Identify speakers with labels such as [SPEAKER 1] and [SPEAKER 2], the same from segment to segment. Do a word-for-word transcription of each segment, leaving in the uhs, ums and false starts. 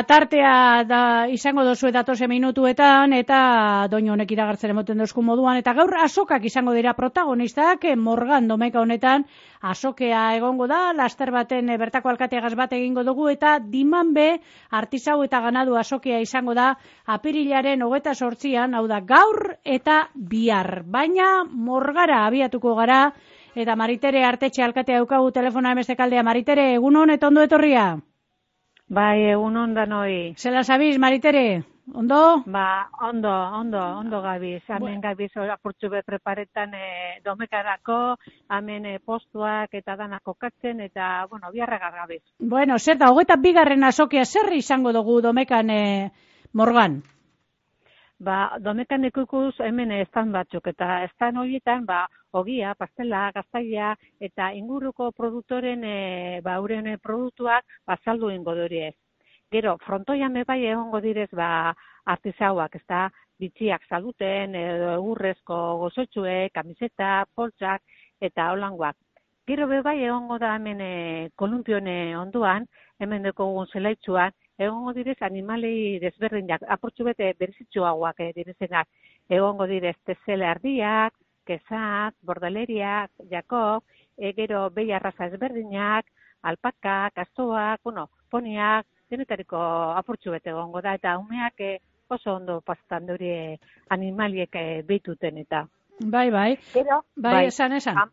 [SPEAKER 1] tartea da izango dozu datoze minutuetan, eta doinu honek iragartzen emoten dozku moduan, eta gaur azokak izango dira protagonistak, Morgan domeka honetan, azokea egongo da, laster baten bertako alkateagaz bat egingo dugu, eta diman be, artisau eta ganadu azokea izango da, apirilaren hogeta sortzian, hau da gaur eta bihar. Baina Morgara abiatuko gara, eta Maritere Artetxe alkatea daukagu telefona emestekaldea. Maritere, egunon eta ondo etorria?
[SPEAKER 2] Bai, egunon danoi.
[SPEAKER 1] Zela zabiz, Maritere? Ondo?
[SPEAKER 2] Ba, ondo, ondo, ondo gabiz. Hemen gabiz apurtxu be preparetan e, domekarako, hemen e, postuak eta danak kokatzen, eta, bueno, biharragar gabiz.
[SPEAKER 1] Bueno, zer da, hogeta bigarren azokea zer izango dugu domekan e, Morgan?
[SPEAKER 2] Ba, domekan ikukuz hemen estan batzuk, eta estan horietan, ba, ogia, pastela, gaztaia, eta inguruko produktoren, e, ba, uren produktuak, ba, saldu ingo duriez. Gero, frontoian bai egongo direz, ba, artisauak, ez da, bitxiak saluten, edo egurrezko gozotxue, kamiseta, poltsak, eta holangoak. Gero bai egongo da hemen e, kolumpione onduan, hemen dekogun zelaitzuan, egongo direz animalei desberdinak, apurtxu bete berizitzuagoak e, direzenak, egongo direz tezele ardiak, kezak, bordaleriak, jakob, e, gero behi arraza ezberdinak, alpakak, astoak, bueno, poniak, denetariko apurtxu bete egongo da, eta umeak e, oso ondo pastan duri animaliek e, behituten eta.
[SPEAKER 1] Bai, bai,
[SPEAKER 2] Gero,
[SPEAKER 1] bai, bai, esan, esan.
[SPEAKER 2] Am,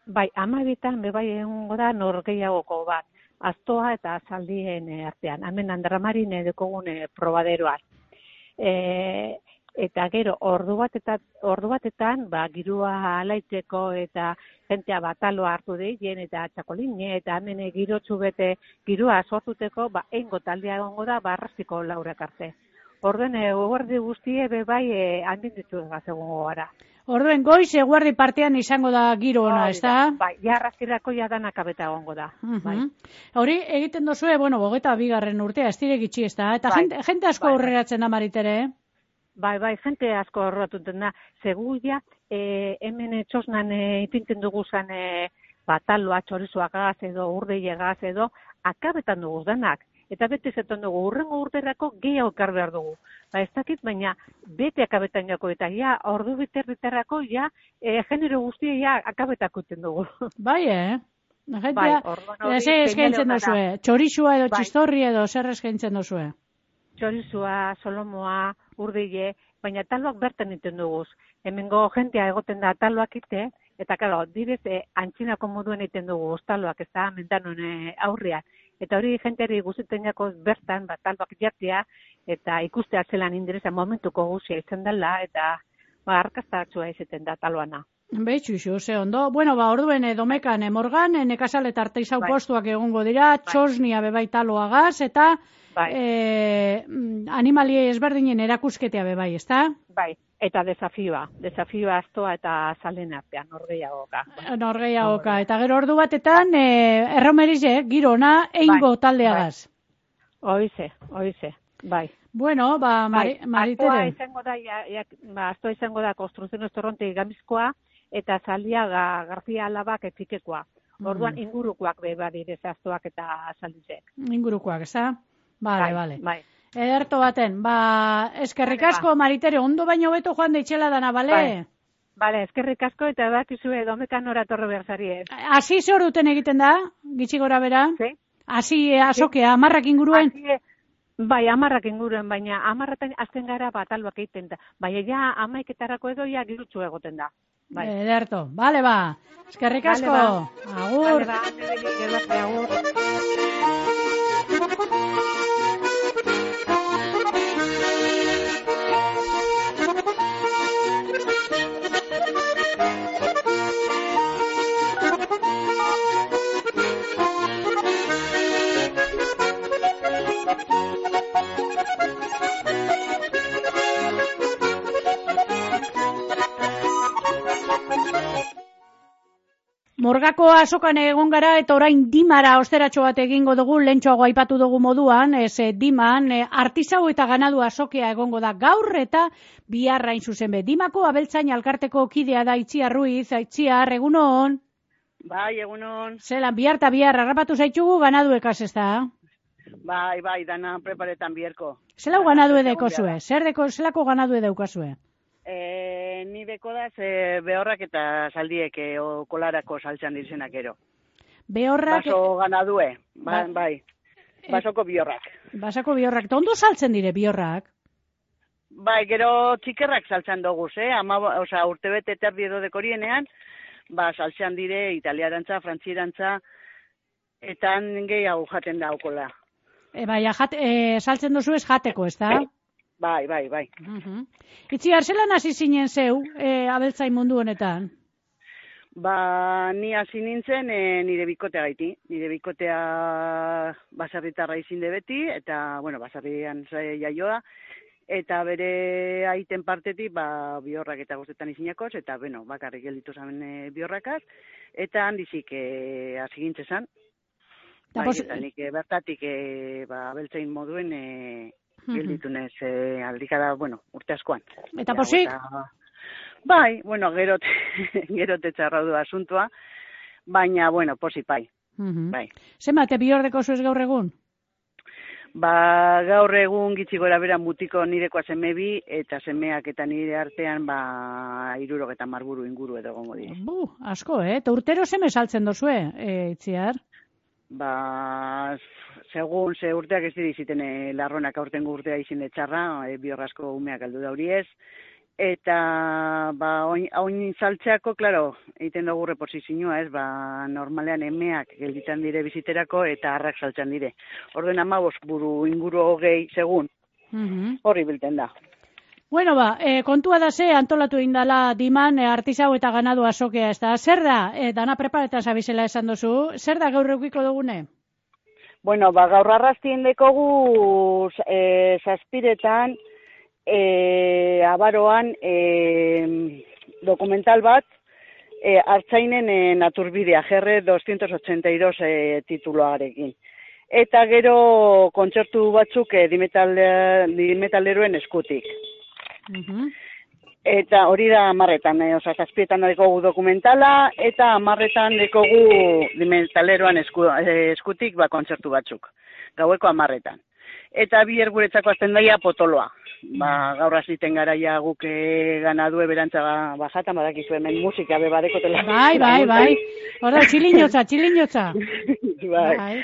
[SPEAKER 2] bai, amabitan bebai egongo da norgeiagoko bat, astoa eta zaldien e, artean, hemen Andramarin dekogun e, probaderoan. E, Eta gero, ordu batetan, ordu batetan, ba, girua alaiteko eta jentea bataloa hartu deien eta txakoline eta hemen girotxu bete girua sortuteko, ba, eingo taldea egongo da, ba, arrastiko laurak arte. Orduen, eguerdi guztie bebai e, handin ditu egaz egongo gara.
[SPEAKER 1] Orduen, goiz eguerdi partean izango da giro ona, ez da?
[SPEAKER 2] Bai, ja arrastirako ja danak abeta egongo da.
[SPEAKER 1] Uh -huh.
[SPEAKER 2] Bai.
[SPEAKER 1] Hori, egiten dozue, bueno, hogeta bigarren urtea, ez direk itxi, ez da? Eta bai, jente, jente asko bai, aurreratzen da, Maritere, eh?
[SPEAKER 2] Bai, bai, jente asko horretuten da. Seguia, e, hemen txosnan e, ipinten dugu zen e, bataloa, txorizoak gaz edo, urdeile gaz edo, akabetan dugu denak. Eta bete zetan dugu, urrengo urterako gehiago ekar behar dugu. Ba, ez dakit, baina bete akabetan jako eta ja, ordu biterriterako ja, e, genero guztia ja akabetakuten dugu.
[SPEAKER 1] Bai, eh? Gentia,
[SPEAKER 2] bai, orduan hori,
[SPEAKER 1] ez eskaintzen duzue, txorizua edo bai, txistorri edo zer eskaintzen duzue?
[SPEAKER 2] Txorizua, solomoa, urdile, baina taloak bertan iten duguz. Hemengo jentea egoten da taloak ite, eta karo, direz e, antxinako moduen iten dugu taloak, ez da, mendanon e, aurrian. Eta hori jenteari guztiten jako bertan, bat taloak jartia, eta ikustea zelan indireza momentuko guzia izan dela, eta ba, arkastatxua izaten da taloana.
[SPEAKER 1] Betxu, ze ondo. Bueno, ba, orduen e, domekan, e, Morgan, e, nekazal eta arteizau bai, postuak egongo dira, bai, txosnia bebai taloagaz, eta bai, e, animalie ezberdinen erakusketea bebai, ez da?
[SPEAKER 2] Bai, eta desafioa, desafioa astoa eta zalen artean, norgeiagoka.
[SPEAKER 1] Norgeiagoka, eta gero ordu batetan, e, erromerize, girona, eingo bai, taldeagaz.
[SPEAKER 2] Bai. Oize, oize, bai.
[SPEAKER 1] Bueno, ba,
[SPEAKER 2] bai,
[SPEAKER 1] Maritere.
[SPEAKER 2] Astoa izango da, ja, ja, ba, astoa izango da konstruzioen estorronte gamizkoa, eta Zaldiaga García Alabak etikekoa. Orduan, mm. ingurukoak be badirez astoak eta zaldizek.
[SPEAKER 1] Ingurukoak, ez da? Bale,
[SPEAKER 2] bai,
[SPEAKER 1] bale.
[SPEAKER 2] Bai.
[SPEAKER 1] Ederto baten, ba, eskerrik asko, ba. Maritere, ondo baino beto joan deitxela dana, bale?
[SPEAKER 2] Bai. Bale, eskerrik asko eta bakizue domekan oratorro behar zari.
[SPEAKER 1] Asi zor duten egiten da, gitxi gora bera?
[SPEAKER 2] Sí.
[SPEAKER 1] Asi azokea, amarrak inguruen?
[SPEAKER 2] Asi, bai, amarrak inguruen, baina amarratan azten gara batalbak egiten da. Baina ja, amaiketarako edo ja girutxu egoten da. Bai.
[SPEAKER 1] Ederto, bale ba, eskerrik asko,
[SPEAKER 2] vale, ba.
[SPEAKER 1] agur.
[SPEAKER 2] Bale ba, nebeli, agur.
[SPEAKER 1] Morgako azokan egon gara eta orain dimara osteratxo bat egingo dugu, lentxoago aipatu dugu moduan, ez diman, e, artisau eta ganadu azokea egongo da gaur eta biharrain zuzen be. Dimako abeltzain alkarteko kidea da Itziar Ruiz, Itziar, egunon?
[SPEAKER 3] Bai, egunon.
[SPEAKER 1] Zelan, bihar eta bihar harrapatu zaitugu ganaduekaz ez da?
[SPEAKER 3] Bai, bai, dana preparetan bierko.
[SPEAKER 1] Zelau ganadu edeko zue? Zer deko, zelako ganadu edaukazue?
[SPEAKER 3] E, ni deko da, ze behorrak eta saldiek e, o, kolarako saltxan dizenak ero.
[SPEAKER 1] Behorrak...
[SPEAKER 3] Baso ganadue, ba,
[SPEAKER 1] ba,
[SPEAKER 3] bai, basoko biorrak.
[SPEAKER 1] Basako biorrak, eta ondo saltzen dire biorrak?
[SPEAKER 3] Bai, gero txikerrak saltzan doguz, eh? Ama, oza, urte bete terdi edo dekorienean, ba, saltzean dire italiarantza, frantzirantza, eta gehiago jaten daukola.
[SPEAKER 1] E, bai, jat, e, saltzen dozu ez jateko, ez da?
[SPEAKER 3] Bai, bai, bai.
[SPEAKER 1] Uh-huh. Itziar, zelan hasi zinen zeu, e, abeltzain mundu honetan?
[SPEAKER 3] Ba, ni hasi nintzen e, nire bikotea gaiti. Nire bikotea basarritarra izin de beti, eta, bueno, basarrian jaioa, eta bere aiten partetik, ba, biorrak eta guztetan izinakos, eta, bueno, bakarrik gelditu zamen e, biorrakaz, eta handizik e, hasi gintzezan. Bai, pos... eta nik e, bertatik e, ba, abeltzain moduen e, gelditu nez e, aldikada, bueno, urte askoan.
[SPEAKER 1] Eta posik?
[SPEAKER 3] Eta, bai, bueno, gerote, gerote txarra du asuntua, baina, bueno, posik bai.
[SPEAKER 1] Uh-huh.
[SPEAKER 3] Bai.
[SPEAKER 1] Zenbate bihordeko zuez gaur egun?
[SPEAKER 3] Ba, gaur egun gitxi gora bera mutiko nirekoa seme bi, eta semeak eta nire artean, ba, irurok eta marburu inguru edo gongo dire.
[SPEAKER 1] Bu, asko, eh? Eta urtero seme saltzen dozue, e, Itziar?
[SPEAKER 3] Ba, segun, ze urteak ez diriziten e, larronak aurten urtea izin de txarra, e, biorrasko umeak aldu dauriez, eta, ba, oin, oin saltzeako, klaro, egiten dugu reposizioa, ez, ba, normalean emeak gelditan dire biziterako, eta harrak saltzen dire. Orden amabos buru inguru hogei segun, uh-huh. Horri bilten da.
[SPEAKER 1] Bueno, ba, e, kontua da ze, antolatu indala diman, e, artizau eta ganadu azokea, ez da. Zer da, e, dana preparetan zabizela esan dozu, zer da gaur eukiko dugune?
[SPEAKER 3] Bueno, ba, gaur arrastien dekogu e, zazpiretan, e, abaroan, e, dokumental bat, e, hartzainen e, naturbidea, G R doscientos ochenta y dos e, tituloarekin. Eta gero kontzertu batzuk e, dimetalderoen eskutik. Uh-huh. Eta hori da amarretan, eh, oza, zazpietan dekogu dokumentala, eta amarretan dekogu dimetaleroan esku, eh, eskutik ba, kontzertu batzuk, gaueko amarretan. Eta bi erguretzako azten daia potoloa. Ba, gaur aziten garaia guk e, ganadu eberantza bajatan, badakizu hemen musika bebadekotela.
[SPEAKER 1] Bai, bai, bai, hora, txilinotza, txilinotza.
[SPEAKER 3] Bai. Bai.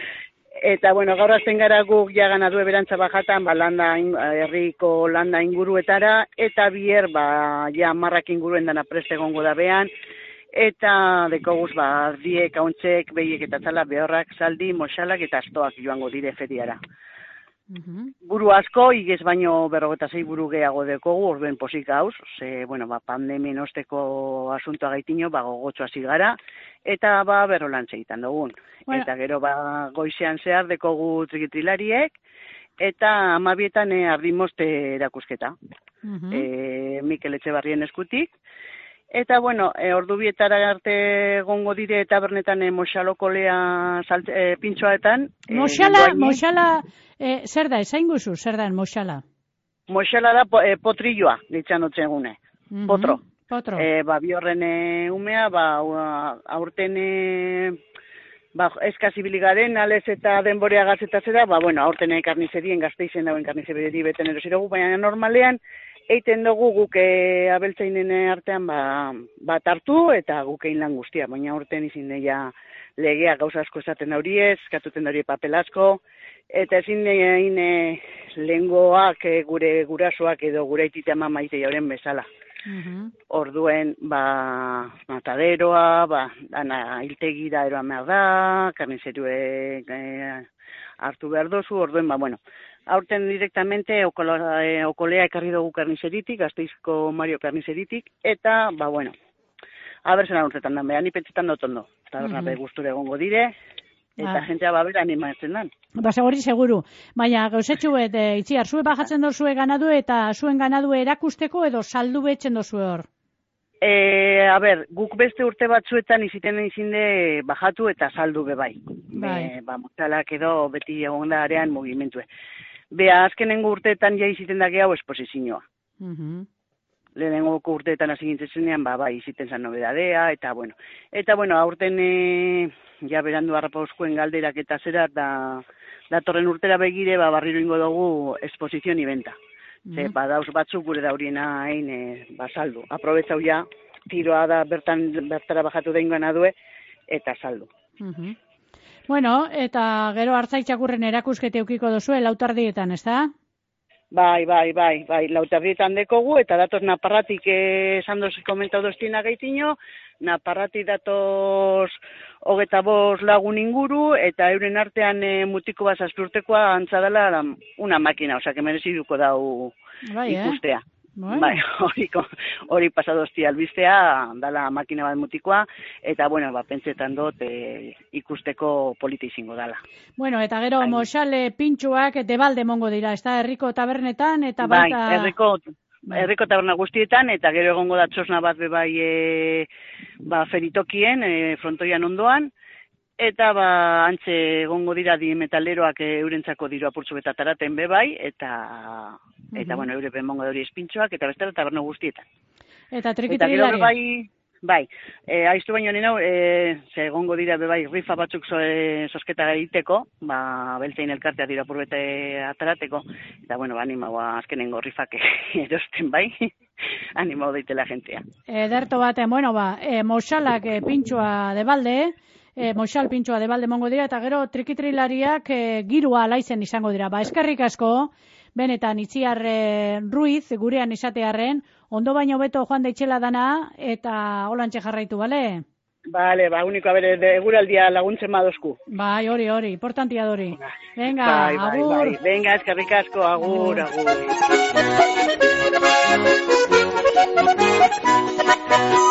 [SPEAKER 3] Eta, bueno, gaur azten gara guk ja ganadu eberantza bajatan, ba, landa, herriko landa inguruetara, eta bier, ba, ja marrak inguruen dana preste gongo da behan, eta dekoguz, ba, ardiek, hauntzek, behiek eta txala, behorrak, saldi, moxalak eta astoak joango dire feriara. Uh-huh. Buru asko, igez baino berrogeta zei buru gehiago dekogu, orduen posik gauz, ze, bueno, ba, pandemien osteko asuntoa gaitino, ba, gogotxo hasi gara, eta, ba, berrolan segitan dugun. Bueno. Eta gero, ba, goizean zehar dekogu trikitrilariek, eta amabietan e, ardimoste erakusketa. Uh-huh. E, Mikel Etxebarrien eskutik. Eta, bueno, e, ordu bietara arte gongo dire tabernetan e, moxalokolea e, pintxoaetan.
[SPEAKER 1] Moxala, e, moxala, e, zer da, esain guzu, zer da, moxala?
[SPEAKER 3] Moxala da e, potrilloa, ditzan otzen gune, uh-huh. Potro.
[SPEAKER 1] Potro.
[SPEAKER 3] E, ba, biorren e, umea, ba, aurten e, ba, eskazibiligaren, alez eta denborea gazetasera, ba, bueno, aurten e, karnizerien, gazteizen dauen karnizeri beten erosirogu, baina normalean, eiten dugu guk e, abeltzainen artean ba, bat hartu eta guk egin lan guztia, baina urten izin deia legea gauza asko esaten dauriez, katuten daurie papel asko, eta ezin egin e, lehengoak e, gure gurasoak edo gure aitite ama maite jauren bezala. Uh-huh. Orduen, ba, mataderoa, ba, dana hiltegira eroan behar da, karnizeruek e, hartu behar dozu, orduen, ba, bueno, aurten directamente okola, e, okolea ekarri dugu karnizeritik, Gasteizko Mario karnizeritik, eta, ba, bueno, abertzen aruntetan dan, behan ipetzetan dut ondo. Eta berna, uh-huh. Gusture egongo dire, eta ah. jentea babera animatzen dan.
[SPEAKER 1] Ba, seguri, seguru. Baina, gauzetxu, et, e, itziar, zue bajatzen dozue ganadu eta zuen ganadu erakusteko edo saldu betzen dozue hor?
[SPEAKER 3] E, a ber, guk beste urte batzuetan iziten izinde bajatu eta saldu bebai. Bai. Be, ba, motalak edo beti egon da arean mugimentue. Bea, azkenengo urteetan ja iziten da gehiago esposizioa. Uh-huh. lehenengo urteetan hasi gintzen zenean, ba, bai, iziten zan nobedadea, eta, bueno, eta, bueno, aurten, e, ja, berandu harrapauzkoen galderak eta zera, da, datorren urtera begire, ba, barriro ingo dugu esposizion ibenta. Mm. Ze, ba, dauz batzuk gure dauriena hain, e, ba, saldu. Aprobetzau ja, tiroa da bertan, bertara bajatu deingoan adue, eta saldu.
[SPEAKER 1] Mm-hmm. Bueno, eta gero hartzaitxakurren erakuskete eukiko duzue, lautardietan, ez da?
[SPEAKER 3] Bai, bai, bai, bai, lautardietan dekogu, eta datoz Naparratik esan dozi komentau doztina gaitino, Naparratik datoz hogeta bost lagun inguru, eta euren artean e, mutiko bat zazpurtekoa antzadala una makina, osea, que mereziduko dau bai, ikustea. Eh? Bueno. Bai, hori, hori pasadozti albistea, dala makina bat mutikoa, eta, bueno, ba, pentsetan dut e, ikusteko polita izango dala.
[SPEAKER 1] Bueno, eta gero, Hain. Moxale pintxuak debalde mongo dira, ez da, herriko tabernetan, eta
[SPEAKER 3] bai,
[SPEAKER 1] baita...
[SPEAKER 3] herriko, bai, herriko taberna guztietan, eta gero egongo da txosna bat bebai e, ba, feritokien, e, frontoian ondoan, eta ba, antxe egongo dira di metaleroak eurentzako diru apurtzu betataraten bebai, eta... Eta, bueno, eure benmongo hori espintxoak, eta bestela taberno guztietan.
[SPEAKER 1] Eta trikitrilari?
[SPEAKER 3] Bai, bai, e, aiztu baino nena, e, ze egongo dira bebai rifa batzuk so, e, sosketa egiteko, ba, beltzein elkartea dira purbete atarateko, eta, bueno, ba, anima, ba, azkenengo rifak erosten bai, anima daitela jentea.
[SPEAKER 1] Ederto baten, bueno, ba, e, moxalak e, pintxoa debalde, e, moxal pintxoa debalde mongo dira, eta gero trikitrilariak e, girua laizen izango dira. Ba, eskerrik asko, benetan, Itziar e, Ruiz, gurean izatearren, ondo baino beto joan daitxela dana, eta holantxe jarraitu, bale?
[SPEAKER 3] Bale, ba, uniko, abere, eguraldia laguntzen badozku.
[SPEAKER 1] Bai, hori, hori, importantia dori. Venga,
[SPEAKER 3] bai, bai,
[SPEAKER 1] agur.
[SPEAKER 3] Bai. Venga, eskerrik asko, agur, agur. agur.